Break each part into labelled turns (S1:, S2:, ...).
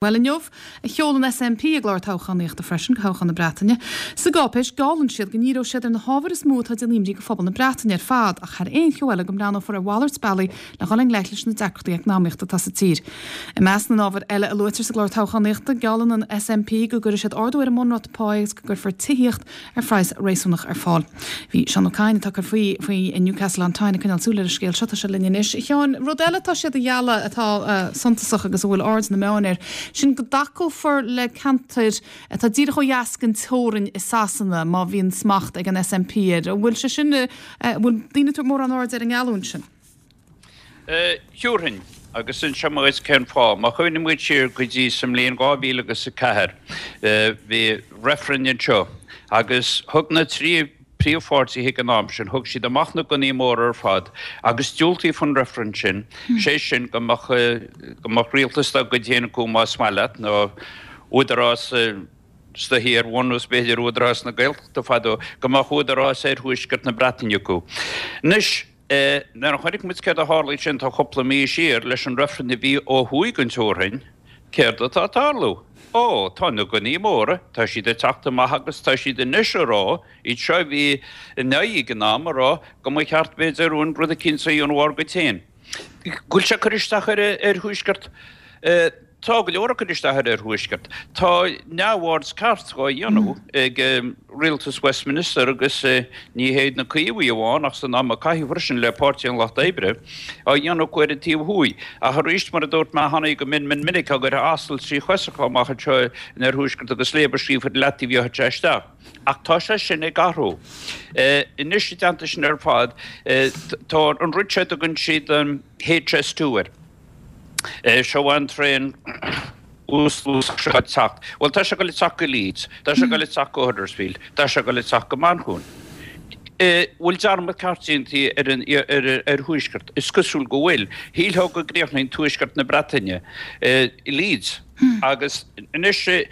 S1: Bhuel, inniu a sheol an SNP a gclár toghchánaíochta freisin do thoghchán na Breataine. Sa gcáipéis, geallann siad go ndíreoidh siad ar na hábhair is mó atá ag déanamh imní do phobal na Breataine ar fad, ach thar aon cheo eile go mbreathnófar ar mhalairt bealaí le dhul i ngleic leis na deacrachtaí eacnamaíochta atá sa tír. I measc na n-ábhar eile a luaitear sa gclár toghchánaíochta, geallann an SNP go gcuirfidh siad ardú ar an mbunráta páí agus go gcuirfear tithíocht ar phraghas réasúnach ar fáil. Bhí Seán Ó Cadhain, atá ag cur faoi faoi i Newcastle on Tyne, ag coinneáil súil ar an scéal seo. Tá sé linn anois. A Sheáin, rud eile atá siad a ghealladh atá suntasach agus a bhfuil aird na meáin air, sin go dtacófar le ceantair atá díreach ó dheas den teorainn i Sasana má bhíonn smacht ag an SNP air. An bhfuil sé sin, an bhfuil daoine ag tabhairt mórán airde ar an ngeallúint sin?
S2: Thiúrfainn, agus inseoidh mé dhuit cén fáth. Má chuimhníonn muid siar go dtí sa mbliain 2000 agus 4, bhí reifreann anseo agus thug na trí príomhpháirtithe ag an am sin, thug siad amach na gunnaí móra ar fad agus diúltaíodh an reifreann sin, sé sin go mbeadh, go mbeadh rialtas dá gcuid féin acu más maith leat, nó údarás is dóichí ar bhunús b'fhéidir Údarás na Gaeltachta fadó, go mbeadh údarás oirthuaisceart na Breataine acu. Anois. Nuair a chonaic muid céard a tharlaigh sin tá cúpla mí siar leis an reifreann a bhí ó thuaidh den teorainn, céard atá ag tarlú? Ó, tá na gunnaí móra, tá siad ag teacht amach agus tá siad anois a rá, iad seo a bhí in aghaidh ag an am, a rá go mba cheart b'fhéidir an rud eicínt a dhéanamh ár gcuid féin. Go bhfuil sé ag cur isteach ar an oirthuaisceart. Tá go leor ag cur isteach ar an oirthuaisceart. Tá neamhaird ceart á dhéanamh ag rialtas Westminster agus ní hé na Caomhaigh amháin ach san am a caitheadh freisin le Páirtí an Lucht Oibre á dhéanamh acu ar an taobh thuaidh. Ach arís, mar a dúirt mé cheana go mion mion minic, á gcuirfeá asal trí chois acu amach anseo in oirthuaisceart agus léaba scríofa ar leataobh gheobhaidh sé isteach. Ach tá sé sin ag athrú. Anois i dteannta sin ar fad, tá an rud seo a dtugann siad an HS2 air. Seo an traein uasluasach seo ag teacht. Bhuel, tá sé ag dul ag teacht go Leeds, tá sé ag dul ag teacht go Huddersfield, tá sé ag dul ag teacht go Manchain. Bhfuil dearmad ceart déanta ar an oirthuaisceart? Is cosúil go bhfuil. Shílfeá go gcríochnaíonn tuaisceart na Breataine i Leeds. Agus anois,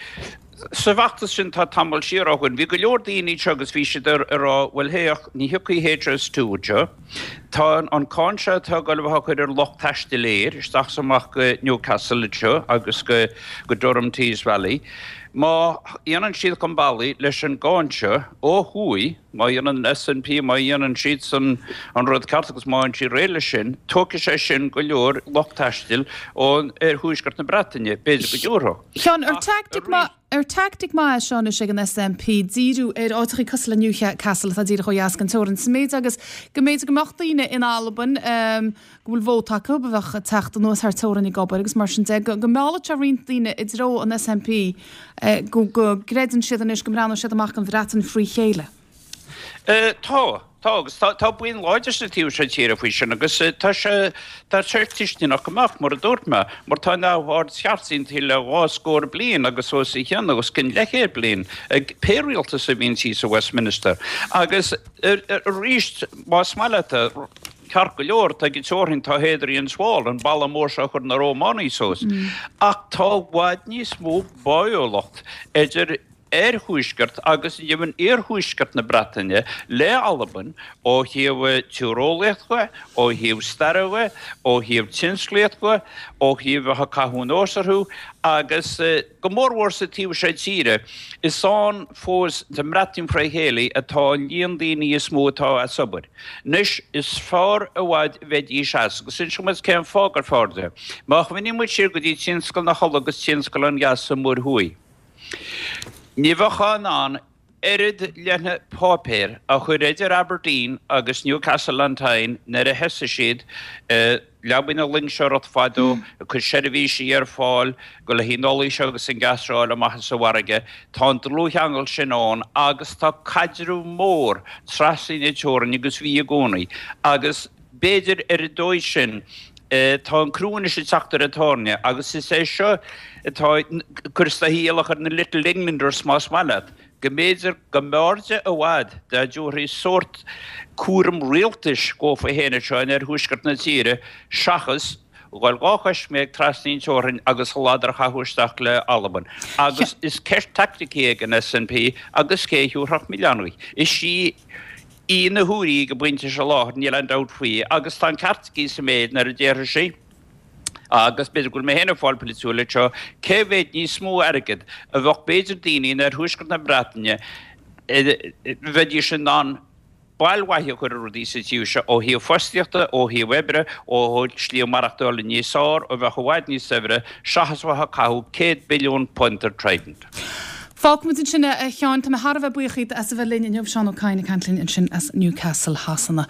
S2: Sa bhfeachtas sin tá tamall siar ó shoin, bhí go leor daoine anseo agus bhí siad ag rá, bhuel féach, ní thiocfaidh HS2 anseo, tá an cáin seo atá ag dul a bheith á cur ar lucht taistil aeir isteach is amach go Newcastle anseo agus go go Durham Tees Valley. Má dhéanann siad chun bealaigh leis an gcáin seo ó thuaidh, Má dhéanann an SNP, má dhéanann siadsan an rud ceart agus má fhaigheann siad réidh leis sin, tógfaidh sé sin go leor lucht taistil ó oirthuaisceart na Breataine, b'fhéidir go dtiúrfadh.
S1: Sheáin, ar teaictic maith, ar teaictic maith é seo anois ag an SNP díriú ar áiteachaí cosúil le Newcastle atá díreach ó dheas den teorainn, sa méid agus go mb'fhéidir go mbeadh daoine in Albain, go bhfuil vóta acu, a bheadh ag teacht anuas thar teorainn ag obair agus mar sin de, go meallfadh sé roinnt daoine i dtreo an SNP, go gcreideann siad anois go mbreathnóidh siad amach don Bhreatain frí chéile.
S2: Tá, tá agus tá buíon láidir sa taobh seo tíre faoi sin agus tá sé, tá sé tuisceanach go mbeadh, mar a dúirt mé, mar tá neamhaird cheart déanta le dhá scór bliain agus os a chionn, os cionn leathchéad bliain ag pé rialtas a bhíonn thíos i Westminster. Agus arís, más maith leat é, Ceart go leor, tá ag an teorainn, tá Hadrian's Wall, an balla mór seo a chuir na Rómánaigh suas. Ach tá i bhfad níos mó báúlacht idir oirthuaisceart agus deimhin iarthuaisceart na Breataine le Albain ó thaobh tíreolaíocht dhe, ó thaobh staire dhe, ó thaobh tionsclaíocht dhe, ó thaobh bheith ag caitheamh anuas orthu agus go mórmhór sa taobh seo tíre. Is ann fós sa mBreatain fré chéile atá an líon daoine is mó atá as obair. Anois, is fearr i bhfad a bheidís as, agus inseoidh mé duit cén fáth gur fearr de. Má chuimhníonn muid siar go dtí tionscal na hola agus tionscal an gheas sa Mhuir Thuaidh, ní bheifeá in ann oiread leoithne páipéir a chur idir Aberdeen agus Newcastle on Tyne nuair a thosaigh siad Leabaigh na loingseoireacht fadó, ag cur seirbhísí ar fáil go le haghaidh an ola seo agus an gas seo a fháil amach as an bhfarraige. Tá an dlúthcheangal sin ann agus tá caidreamh mór trasna na teorann agus bhí i gcónaí. Agus b'fhéidir ar an dóigh sin tá an crú anois ag teacht ar an tairne agus is é seo atá ag cur is dóichí iallach ar na Little Englanders más maith leat. go mb'fhéidir go mb'fhearrde i bhfad dá dtabharfaí sórt cúram rialtais dhófa féin anseo in oirthuaisceart na tíre seachas dhul dhá choisméig trasna an teorainn agus a ladar a chaitheamh isteach le Albain. Agus is ceist taicticí ag an SNP agus cé a thiúrfadh milleán uirthi. Is í í na húirí ag an bpointe seo láthair, níl aon dabht faoi, agus tá an ceart aici sa méid nuair a déarfaidh sí. Agus b'fhéidir go bhfuil mé féin ag fáil polaitiúil anseo, cé mhéad níos mó airgid a bheadh b'fhéidir daoine in oirthuaisceart na Breataine, bheidís in ann bail mhaith a chur ar rudaí sa tír seo ó thaobh fostaíochta, ó thaobh oibre, ó thaobh slí maireachtála níos fearr, a bheadh i bhfad níos saibhre, seachas a bheith ag caitheamh 100 billiún punt ar Trident.
S1: Fágfaimid ansin é, a Sheáin. Tá mé thar a bheith buíoch díot as a bheith linn inniu. Seán Ó Cadhain ag caint linn ansin as Newcastle Shasana.